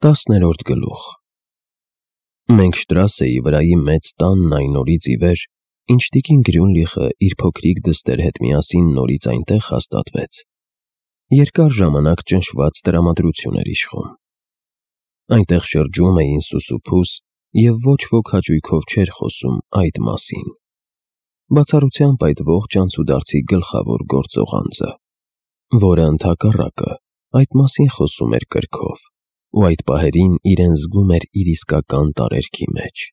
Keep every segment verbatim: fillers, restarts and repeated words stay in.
Տասներորդ գլուխ Մենք Շտրասեի վրայի մեծ տանն այն օրից ի վեր, ինչ տիկին Գրյունլիխը իր փոքրիկ դստեր հետ միասին նորից այնտեղ հաստատվեց, երկար ժամանակ ճնշված տրամադրություն էր իշխում։ Այնտեղ շրջում էին սուսուփուս, և ոչ ոք հաճույքով չէր խոսում այդ մասին։ Բացառությամբ այդ ողջ անցուդարձի գլխավոր գործող անձը, որը ընդհակառակը այդ մասին խոսում էր կրքով, ու այդ պահերին իրեն զգում էր իր իսկական տարերքի մեջ։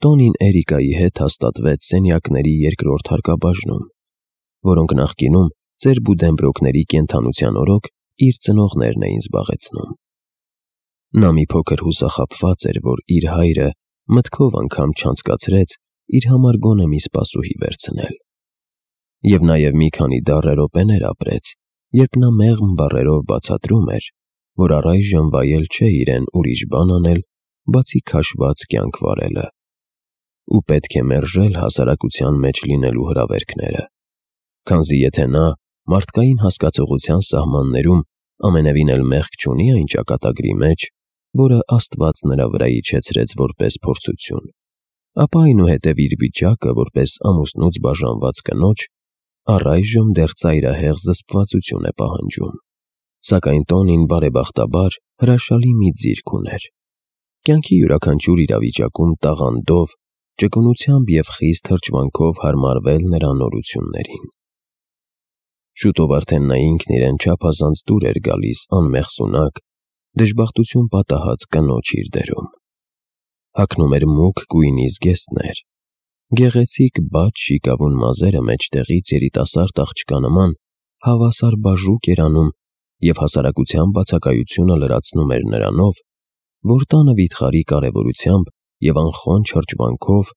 Տոնին Էրիկայի հետ հաստատվեց սենյակների երկրորդ հարկաբաժնում, որոնք նախկինում ծեր Բուդենբրոկների կենդանության օրոք իր ծնողներն էին զբաղեցնում։ Նա մի փոքր հուսախաբված էր, որ իր հայրը մտքով անգամ չանցկացրեց իր համար գոնե մի սպասուհի վերցնել։ Եվ նաև մի քանի դառը րոպեներ ապրեց, երբ նա մեղմ բառերով բացատրում էր, որ առայժմ վայել չէ իրեն ուրիշ բան անել, բացի քաշված կյանք վարելը, ու պետք է մերժել հասարակության մեջ լինելու հրավերքները, քանզի եթե նա մարդկային հասկացողության սահմաններում ամենևին էլ մեղք չունի այն ճակատագրի մեջ, որը Աստված նրա վրա իջեցրեց որպես փորձություն, ապա այնուհետև իր վիճակը որպես ամուսնուց բաժանված կնոջ առայժմ դեռ ծայրահեղ զսպվածություն է պահանջում։ Սակայն Տոնին բարեբախտաբար հրաշալի մի ձիրք ուներ. կյանքի յուրաքանչյուր իրավիճակում տաղանդով, ճկունությամբ և խիստ հրճվանքով հարմարվել նրա նորություններին։ Շուտով արդեն նա ինքն իրեն չափազանց դուր էր գալիս անմեղսունակ, դժբախտություն պատահած կնոջ իր դերում։ Հագնում էր մուգ գույնի զգեստներ, գեղեցիկ բաց շիկավուն մազերը մեջտեղից երիտասարդ աղջկա նման հավասար բաժուկ էր անում և հասարակության բացակայությունը լրացնում էր նրանով, որ տանը վիթխարի կարևորությամբ և անխոնջ հրճվանքով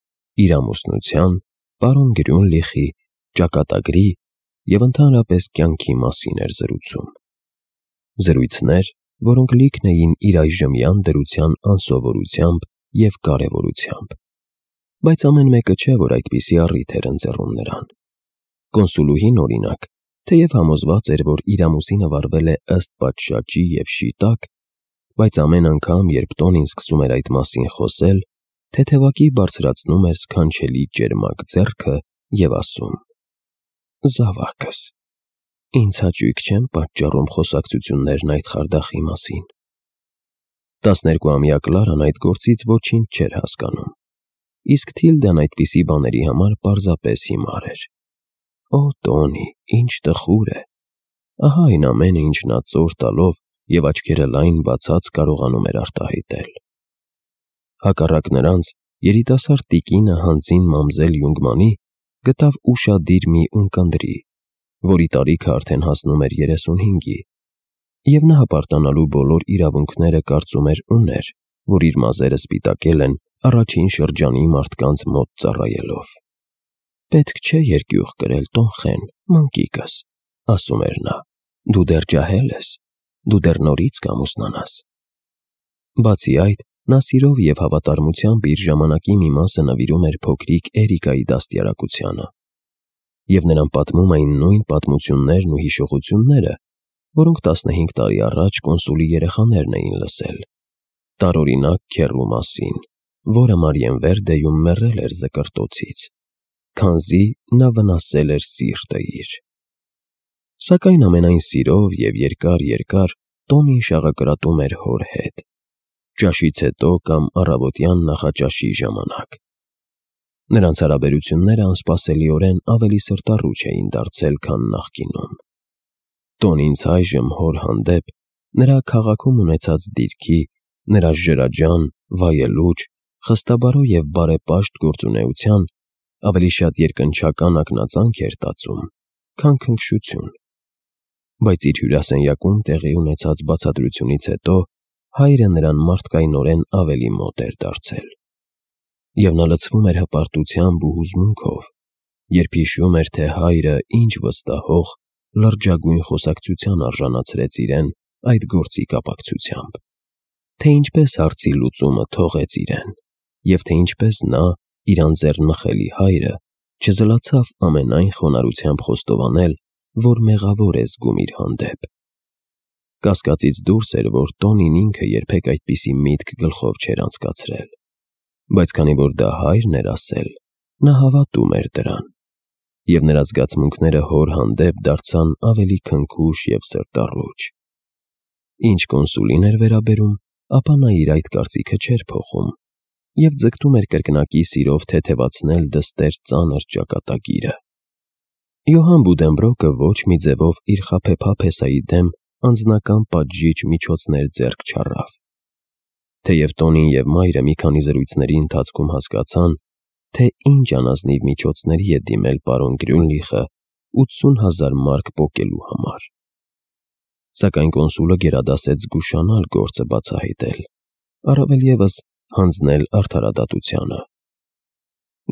իր ամուսնության, պարոն Գրյունլիխի, ճակատագրի և ընդհանրապես կյանքի մասին էր զրուցում։ Զրույցներ, որոնք լիքն էին իր այժմյան դրության անսովորությամբ և կարևորությամբ։ Բայց ամեն մեկը չէ, որ այդպիսի առիթ էր ընձեռում նրան։ Կոնսուլուհին, օրինակ, թեև համոզված էր, որ իր ամուսինը վարվել է ըստ պատշաճի և շիտակ, բայց ամեն անգամ, երբ Տոնին սկսում էր այդ մասին խոսել, թեթևակի բարձրացնում էր սքանչելի ճերմակ ձեռքը և ասում. «Զավակս, ինձ հաճույք չեն պատճառում խոսակցություններն այդ խարդախի մասին»։ Տասներկուամյա Կլարան այդ գործից ոչինչ չէր հասկանում, իսկ Թիլդան այդպիսի բաների համար պարզապես հիմար էր։ Օ, Տոնի, ինչ տխուր է։ Ահա այն ամենը, ինչ նա ծոր տալով և աչքերը լայն բացած կարողանում էր արտահայտել։ Հակառակ նրանց, երիտասարդ տիկինը հանձին մամզել Յունգմանի գտավ ուշադիր մի ունկնդրի, որի տարիքը արդեն հասնում էր երեսունհինգի, և նա հպարտանալու բոլոր իրավունքները կարծում էր ուներ, որ իր մազերը սպիտակել են առաջին շրջանի մարդկանց մոտ ծառայելով։ «Պետք չէ երկյուղ կրել, Տոն Խեն, մանկիկս», ասում էր նա, «դու դեռ ջահել ես, դու դեռ նորից կամուսնանաս»։ Բացի այդ, նա սիրով և հավատարմությամբ իր ժամանակի մի մասը նվիրում էր փոքրիկ Էրիկայի դաստիարակությանը, և նրան պատմում էին նույն պատմություններն ու հիշողությունները, որոնք տասնհինգ տարի առաջ կոնսուլի երեխաներն էին լսել, տարօրինակ քեռու մասին, որը Մարիենվերդեում մեռել էր զկրտոցից, քանզի նա վնասել էր սիրտը իր։ Սակայն ամենայն սիրով և երկար֊երկար Տոնին շաղակրատում էր հոր հետ, ճաշից հետո կամ առավոտյան նախաճաշի ժամանակ։ Նրանց հարաբերությունները անսպասելիորեն ավելի սրտառուչ էին դարձել, քան նախկինում։ Տոնին's այժմ հոր հանդեպ նրա քաղաքում ունեցած դիրքի, նրա ժրաջան, վայելուչ, խստաբարո և բարեպաշտ գործունեության ավելի շատ երկնչական ակնածանք էր տածում, քան քնքշություն։ Բայց իր հյուրասենյակում տեղի ունեցած բացատրությունից հետո հայրը նրան մարդկայնորեն ավելի մոտ էր դարձել։ Եվ նա լցվում էր հպարտությամբ ու հուզմունքով, երբ հիշում էր, թե հայրը ինչ վստահող, լրջագույն խոսակցության արժանացրեց իրեն այդ գործի կապակցությամբ, թե ինչպես հարցի լուծումը թողեց իրեն, և թե ինչպես նա, իր անձեռնմխելի հայրը, չզլացավ ամենայն խոնարհությամբ խոստովանել, որ մեղավոր է զգում իր հանդեպ։ Կասկածից դուրս էր, որ Տոնին ինքը երբեք այդպիսի միտք գլխով չէր անցկացրել, բայց քանի որ դա հայրն էր ասել, նա հավատում էր դրան, և նրա զգացմունքները հոր հանդեպ դարձան ավելի քնքուշ և սրտառուչ։ Ինչ կոնսուլին էր վերաբերում, ապա նա իր այդ կարծիքը չէր փոխում և ձգտում էր կրկնակի սիրով թեթևացնել դստեր ծանր ճակատագիրը։ Յոհան Բուդենբրոկը ոչ մի ձևով իր խաբեբա փեսայի դեմ անձնական պատժիչ միջոցներ ձեռք չառավ։ Թեև Տոնին և մայրը մի քանի զրույցների ընթացքում հասկացան, թե ինչ անազնիվ միջոցների է դիմել պարոն Գրյունլիխը ութսուն հազար մարկ պոկելու համար, սակայն կոնսուլը գերադասեց զգուշանալ գործը բացահայտել, առավել ևս հանձնել արդարադատությանը։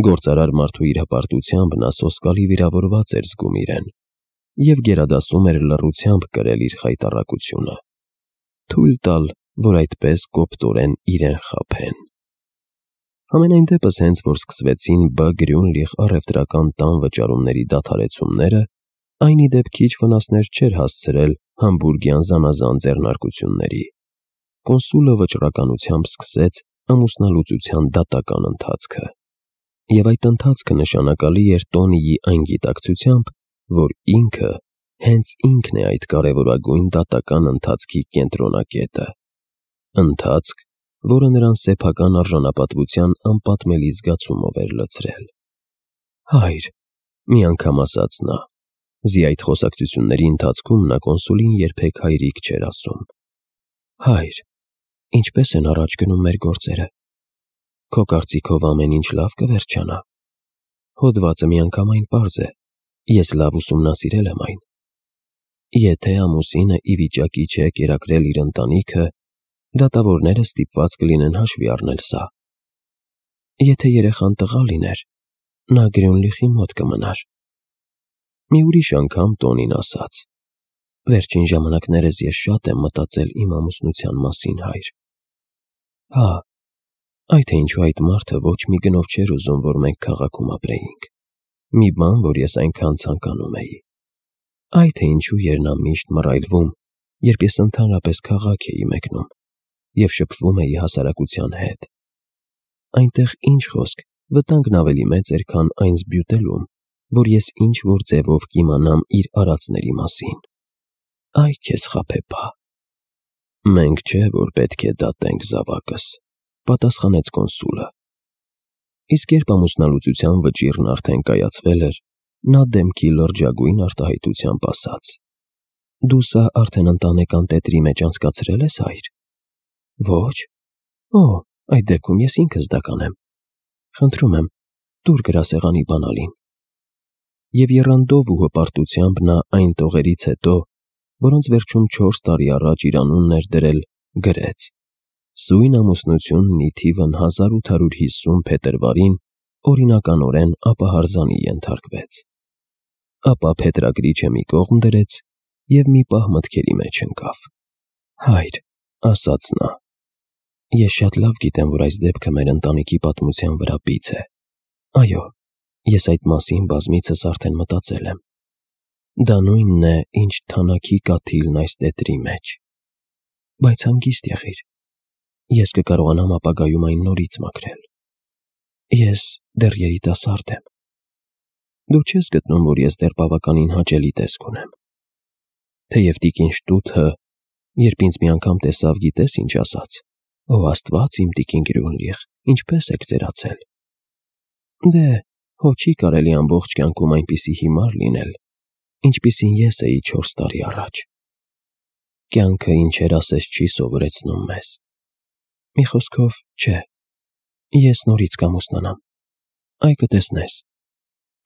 Գործարար մարդու իր հպարտությամբ նա սոսկալի վիրավորված էր զգում իրեն և գերադասում էր լռությամբ կրել իր խայտառակությունը, թույլ տալ, որ այդպես կոպտորեն իրեն խաբեն։ Համենայն դեպս, հենց որ սկսվեցին Բ. Գրյունլիխ առևտրական տան վճարումների դադարեցումները, այն ի դեպ քիչ վնասներ չէր հասցրել համբուրգյան զանազան ձեռնարկությունների։ Կոնսուլը վճռականությամբ սկսեց ամուսնալուծության դատական ընթացքը, և այդ ընթացքը նշանակալի էր Տոնիի այն գիտակցությամբ, որ ինքը հենց ինքն է այդ կարևորագույն դատական ընթացքի կենտրոնակետը, ընթացք, որը նրան սեփական արժանապատվության անպատմելի զգացումով էր լցրել։ «Հայր», մի անգամ ասաց նա, զի այդ խոսակցությունների ընթացքում նա կոնսուլին երբեք հայրիկ չէր ասում, «Հայր, ինչպե՞ս են առաջ գնում մեր գործերը։ Քո կարծիքով ամեն ինչ լավ կվերջանա։ Հոդվածը միանգամայն պարզ է, ես լավ ուսումնասիրել եմ այն։ Եթե ամուսինը ի վիճակի չէ կերակրել իր ընտանիքը, դատավորները ստիպված կլինեն հաշվի առնել սա։ Եթե երեխան տղա լիներ, նա Գրյունլիխի մոտ կմնար»։ Մի ուրիշ անգամ Տոնին ասաց. «Վերջին ժամանակներս ես շատ եմ մտածել իմ ամուսնության մասին, հայր։ Հա, այ թե ինչու այդ մարդը ոչ մի գնով չէր ուզում, որ մենք քաղաքում ապրեինք, մի բան, որ ես այնքան ցանկանում էի։ Այ թե ինչու էր նա միշտ մռայլվում, երբ ես ընդհանրապես քաղաք էի մեկնում և շփվում էի հասարակության հետ։ Այնտեղ, ինչ խոսք, վտանգն ավելի մեծ էր, քան այն զբյուտելում, որ ես ինչ-որ ձևով կիմանամ իր արածների մասին։ Այ քեզ խաբեբա»։ «Մենք չէ, որ պետք է դատենք զավակս», պատասխանեց կոնսուլը։ Իսկ երբ ամուսնալուծության վճիռն արդեն կայացվել էր, նա դեմքի լրջագույն արտահայտությամբ ասաց. «Դու սա արդեն ընտանեկան տետրի մեջ անցկացրել ես, հայր։ Ոչ։ Օ, այդ դեպքում ես ինքս դա կանեմ։ Խնդրում եմ, տուր գրասեղանի բանալին»։ Եվ եռանդով ու հպարտությամբ նա այն տողերից հետո, որոնց վերջում չորս տարի առաջ իր անունն էր դրել, գրեց. «Սույն ամուսնությունն ի թիվն հազար ութ հարյուր հիսուն փետրվարին օրինականորեն ապահարզանի ենթարկվեց»։ Ապա փետրագրիչը մի կողմ դրեց և մի պահ մտքերի մեջ ընկավ։ «Հայր», ասաց նա, «ես շատ լավ գիտեմ, որ այս դեպքը մեր ընտանիքի պատմության վրա բիծ է։ Այո, ես այդ մասին բազմիցս արդեն մտածել եմ։ Դա նույնն է, ինչ թանաքի կաթիլն այս տետրի մեջ։ Բայց հանգիստ եղիր, ես կկարողանամ ապագայում այն նորից մաքրել։ Ես դեռ երիտասարդ եմ։ Դու չես գտնում, որ ես դեռ բավականին հաճելի տեսք ունեմ։ Թեև տիկին Շտութը, երբ ինձ մի անգամ տեսավ, գիտես ինչ ասաց. «Ո Աստված, իմ տիկին Գրյունլիխ, ինչպե՞ս եք ծերացել»։ Դե, հո չի կարելի ամբողջ կյանքում այնպիսի հիմար լինել, ինչպիսին ես էի չորս տարի առաջ։ Կյանքը ինչեր ասես չի սովորեցնում մեզ։ Մի խոսքով, չէ, ես նորից կամուսնանամ, այ կտեսնես։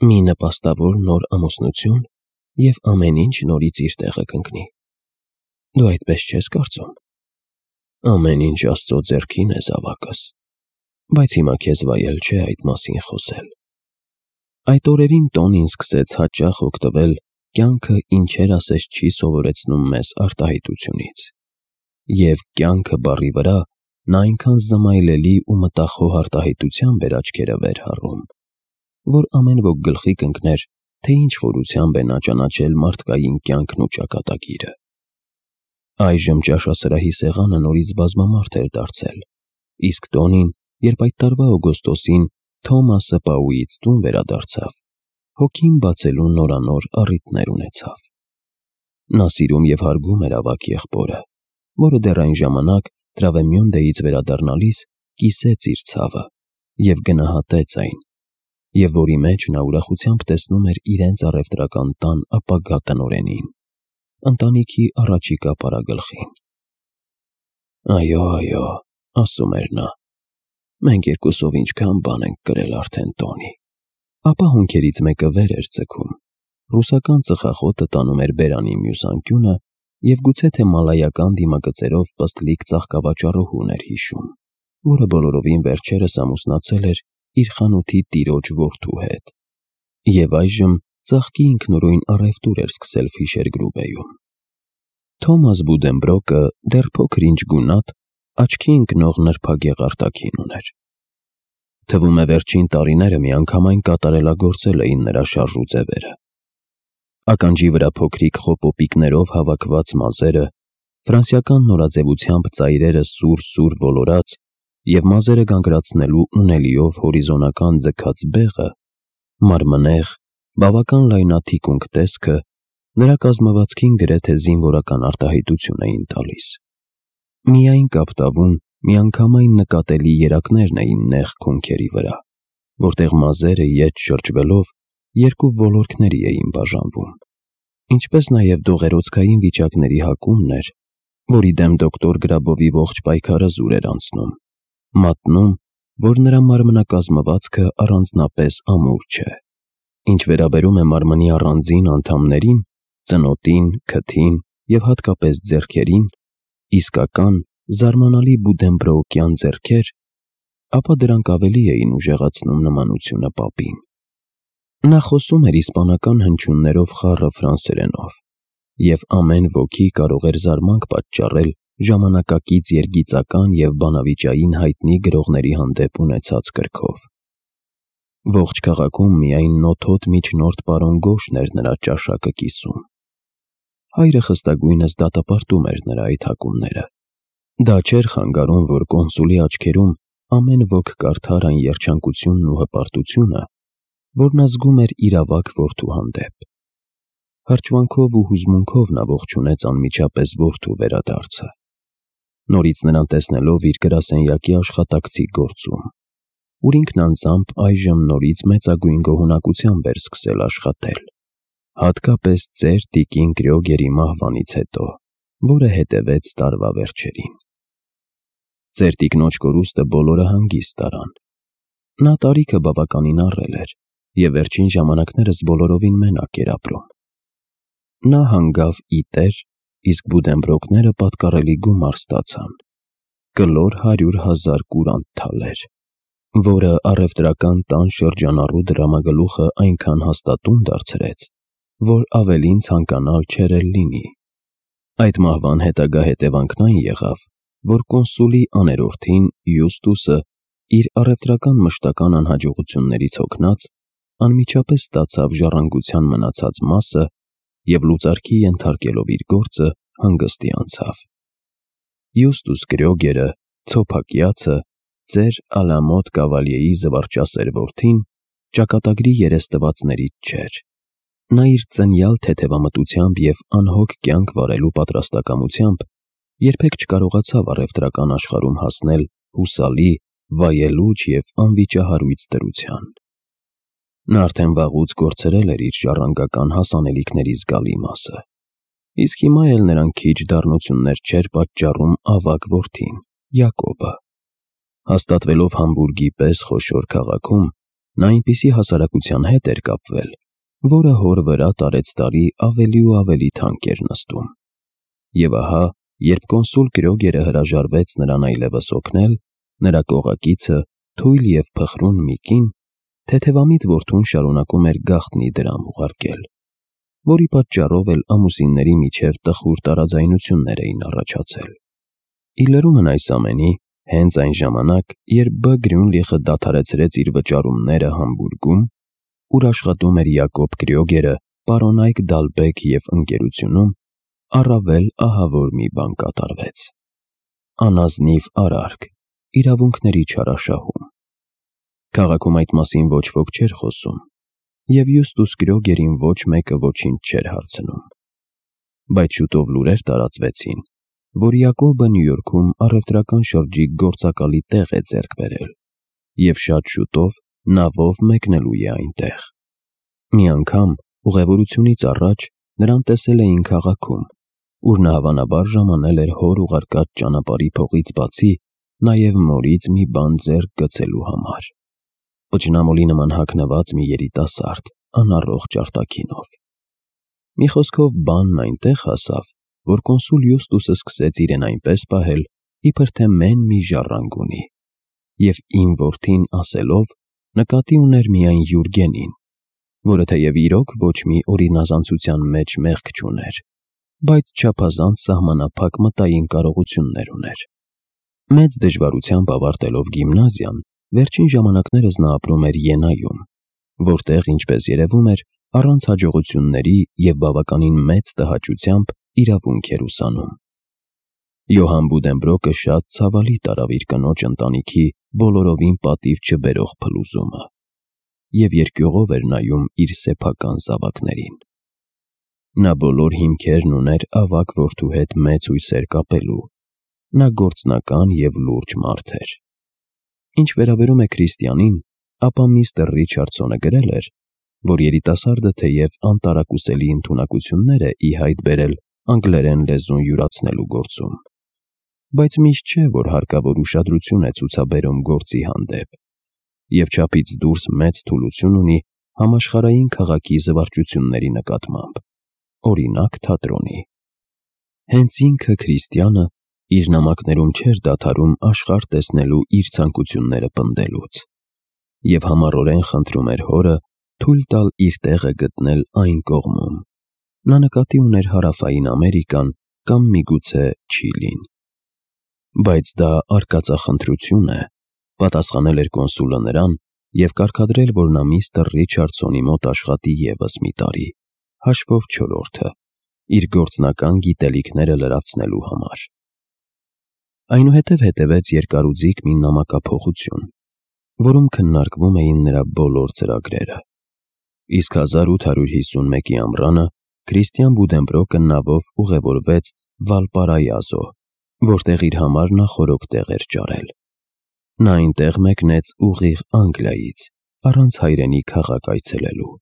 Մի նպաստավոր նոր ամուսնություն, և ամեն ինչ նորից իր տեղը կընկնի։ Դու այդպես չես կարծում։ Ամեն ինչ Աստծո ձեռքին է, զավակս, բայց հիմա քեզ վայել չէ այդ մասին խոսել։ Այդ օրերին Տոնին սկսեց հաճախ օգտվել «կյանքը ինչեր ասես չի սովորեցնում մեզ» արտահայտությունից, և «կյանքը» բառի վրա նա այնքան զմայլելի ու մտախոհ արտահայտությամբ էր աչքերը վեր հառում, որ ամեն ոք գլխի կընկներ, թե ինչ խորությամբ է նա ճանաչել մարդկային կյանքն ու ճակատագիրը։ Այժմ ճաշասրահի սեղանը նորից բազմամարդ էր դարձել, իսկ տոնին, երբ այդ տարվա օգոստոսին Թոմասը Պաուից տուն վերադարձավ, հոգին բացելու նորանոր առիթներ ունեցավ։ Նա սիրում և հարգում էր ավագ եղբորը, որը դեռ այն ժամանակ Տրավեմյոնդեից վերադառնալիս կիսեց իր ցավը և գնահատեց այն, և որի մեջ նա ուրախությամբ տեսնում էր իրենց առևտրական տան ապագա տնօրենին, ընտանիքի առաջիկա պարագլխին։ «Այո, այո», ասում էր նա, «մենք երկուսով ինչքան բան ենք կրել արդեն տոնի»։ Ապա հոնքերից մեկը վեր էր ձգում, ռուսական ծխախոտը տանում էր բերանի մյուս անկյունը և գուցե թե մալայական դիմագծերով պստլիկ ծաղկավաճառուհուն էր հիշում, որը բոլորովին վերջերս ամուսնացել էր իր խանութի տիրոջ որդու հետ, և այժմ ծաղկի ինքնուրույն առևտուր էր սկսել Ֆիշեր-Գրուբեյում։ Թոմաս Բուդենբրոկը դեռ փոքր-ինչ գունատ, աչքի ընկնող նրբագեղ արտաքին ուներ։ Թվում է վերջին տարիները միանգամայն կատարելագործել էին նրա շարժու ձևերը։ Ականջի վրա փոքրիկ խոպոպիկներով հավաքված մազերը, ֆրանսիական նորաձևությամբ ծայրերը սուր-սուր ոլորած և մազերը գանգրացնելու ունելիով հորիզոնական ձգած բեղը, մարմնեղ, բավական լայնաթիկունք տեսքը նրա կազմվածքին գրեթե զինվորական արտահայտություն էին տալիս։ Միայն կապտավուն, միանգամայն նկատելի երակներն էին նեղ քունքերի վրա, որտեղ մազերը ետ շրջվելով երկու ոլորքների էին բաժանվում, ինչպես նաև դողերոցքային վիճակների հակումն էր, որի դեմ դոկտոր Գրաբովի ողջ պայքարը զուր էր անցնում, մատնում, որ նրա մարմնակազմվածքը առանձնապես ամուր չէ։ Ինչ վերաբերում է մարմնի առանձին անդամներին, ծնոտին, քթին և հատկապես ձեռքերին, իսկական, զարմանալի բուդենբրոկյան ձեռքեր, ապա դրանք ավելի էին ուժեղացնում նմանությունը պապին։ Նա խոսում էր իսպանական հնչյուններով խառը ֆրանսերենով, և ամեն ոքի կարող էր զարմանք պատճառել ժամանակակից երգիծական և բանավիճային հայտնի գրողների հանդեպ ունեցած կրքով։ Ողջ քաղաքում միայն նոթոտ միջնորդ պարոն Գոշն էր նրա ճաշակը կիսում։ Հայրը խստագույնս դատապարտում էր նրա այդ հակումները։ Դա չէր խանգարում, որ կոնսուլի աչքերում ամեն ոք կարդար այն երջանկությունն ու հպարտությունը, որ նա զգում էր իր ավագ որդու հանդեպ։ Հրճվանքով ու հուզմունքով նա ողջունեց անմիջապես որդու վերադարձը, նորից նրան տեսնելով իր գրասենյակի աշխատակցի գործում, ուր ինքն անձամբ այժմ նորից մեծագույն գոհունակությամբ էր սկսել աշխատել, հատկապես ծեր տիկին Կրյոգերի մահվանից հետո, որը հետևեց տարվա վերջերին։ Ծեր տիկնոջ կորուստը բոլորը հանգիստ տարան։ Նա տարիքը բավականին առել էր և վերջին ժամանակներս բոլորովին մենակ էր ապրում։ Նա հանգավ ի տեր, իսկ Բուդենբրոկները պատկառելի գումար ստացան՝ կլոր հարյուր հազար կուրանտ թալեր, որը առևտրական տան շրջանառու դրամագլուխը այնքան հաստատուն դարձրեց, որ ավելին ցանկանալ չէր էլ լինի։ Այդ մահվան հետագա հետևանքն այն եղավ, որ կոնսուլի աներորդին Յուստուսը իր առևտրական մշտական անհաջողություններից հոգնած անմիջապես ստացավ ժառանգության մնացած մասը և լուծարքի ենթարկելով իր գործը հանգստի անցավ։ Յուստուս Կրյոգերը, ցոփակյացը, ծեր Ալամոտ Կավալիեի զվարճասեր որդին, ճակատագրի երեստվածներից չէր։ Նա իր ծնյալ թեթևամտությամբ և անհոգ կյանք վարելու պատրաստակամությամբ երբեք չկարողացավ առևտրական աշխարհում հասնել հուսալի, վայելուչ և անվիճահարույց դրության։ Նա արդեն վաղուց կորցրել էր իր ժառանգական հասանելիքների զգալի մասը, իսկ հիմա էլ նրան քիչ դառնություններ չէր պատճառում ավագ որդին՝ Յակոբը։ Հաստատվելով Համբուրգի պես խոշոր քաղաքում, նա այնպիսի հասարակության հետ էր կապվել, որը հոր վրա տարեցտարի ավելի ու ավելի թանկ էր նստում։ Եվ ահա, երբ կոնսուլ Կրյոգերը հրաժարվեց նրան այլևս օգնել, նրա կողակիցը, թույլ և փխրուն մի կին, թեթևամիտ որդուն շարունակում էր գաղտնի դրամ ուղարկել, որի պատճառով էլ ամուսինների միջև տխուր տարաձայնություններ էին առաջացել։ Ի լրումն այս ամենի, հենց այն ժամանակ, երբ Բ. Գրյունլիխը դադարեցրեց իր վճարումները Համբուրգում, ուր աշխատում էր Յակոբ Կրյոգերը պարոնայք Դալբեկ և ընկերությունում, առավել ահավոր մի բան կատարվեց. անազնիվ արարք, իրավունքների չարաշահում։ Քաղաքում այդ մասին ոչ ոք չէր խոսում, և Յուստուս Գրոգերին ոչ մեկը ոչինչ չէր հարցնում։ Բայց շուտով լուրեր տարածվեցին, որ Յակոբը Նյու Յորքում առևտրական շրջիկ գործակալի տեղ է ձեռք բերել, և շատ շուտով նավով մեկնելու է այնտեղ։ Մի անգամ ուղևորությունից առաջ նրան տեսել էին քաղաքում, ուր նա հավանաբար ժամանել էր հոր ուղարկած ճանապարհի փողից բացի նաև մորից մի բան ձեռք գցելու համար։ Պճնամոլի նման հագնված մի երիտասարդ, անառողջ արտաքինով։ Մի խոսքով բանն այնտեղ հասավ, որ կոնսուլ Յուստուսը սկսեց իրեն այնպես պահել, իբր թե մեն մի ժառանգ ունի, և «իմ որդին» ասելով նկատի ուներ միայն Յուրգենին, որը թեև իրոք ոչ մի օրինազանցության մեջ մեղք չուներ, բայց չափազանց սահմանափակ մտային կարողություններ ուներ։ Մեծ դժվարությամբ ավարտելով գիմնազիան, վերջին ժամանակներս նա ապրում էր Յենայում, որտեղ, ինչպես երևում էր, առանց հաջողությունների և բավականին մեծ տհաճությամբ իրավունք էր ուսանում։ Յոհան Բուդենբրոկը շատ ցավալի տարավ իր կնոջ ընտանիքի բոլորովին պատիվ չբերող փլուզումը և երկյուղով էր նայում իր սեփական զավակներին։ Նա բոլոր հիմքերն ուներ ավագ որդու հետ մեծ հույսեր կապելու, նա գործնական և լուրջ մարդ էր։ Ինչ վերաբերում է Քրիստիանին, ապա միստր Ռիչարդսոնը գրել էր, որ երիտասարդը թեև անտարակուսելի ընդունակություններ է ի հայտ բերել անգլերեն լեզուն յուրացնելու գործում, բայց միշտ չէ, որ հարկավոր ուշադրություն է ցուցաբերում գործի հանդեպ, և չափից դուրս մեծ թուլություն ունի համաշխարհային քաղաքի զվարճությունների նկատմամբ, օրինակ թատրոնի։ Հենց ինքը Քրիստիանը իր նամակներում չէր դադարում աշխարհ տեսնելու իր ցանկությունները պնդելուց, և համառորեն խնդրում էր հորը թույլ տալ իր տեղը գտնել այն կողմում։ Նա նկատի ուներ Հարավային Ամերիկան կամ միգուցե Չիլին։ Բայց դա արկածախնդրություն է, պատասխանել էր կոնսուլը նրան և կարգադրել, որ նա միստր Ռիչարդսոնի մոտ աշխատի ևս մի տարի, հաշվով չորրորդը, իր գործնական գիտելիքները լրացնելու համար։ Այնուհետև հետևեց երկարուձիգ մի նամակափոխություն, որում քննարկվում էին նրա բոլոր ծրագրերը։ Իսկ հազար ութ հարյուր հիսունմեկի ամռանը Քրիստիան Բուդենբրոկը նավով ուղևորվեց Վալպարայազո, որտեղ իր համար նախօրոք տեղ էր ճարել։ Նա այնտեղ մեկնեց ուղիղ Անգլիայից, առանց հայրենի քաղաք այցելելու։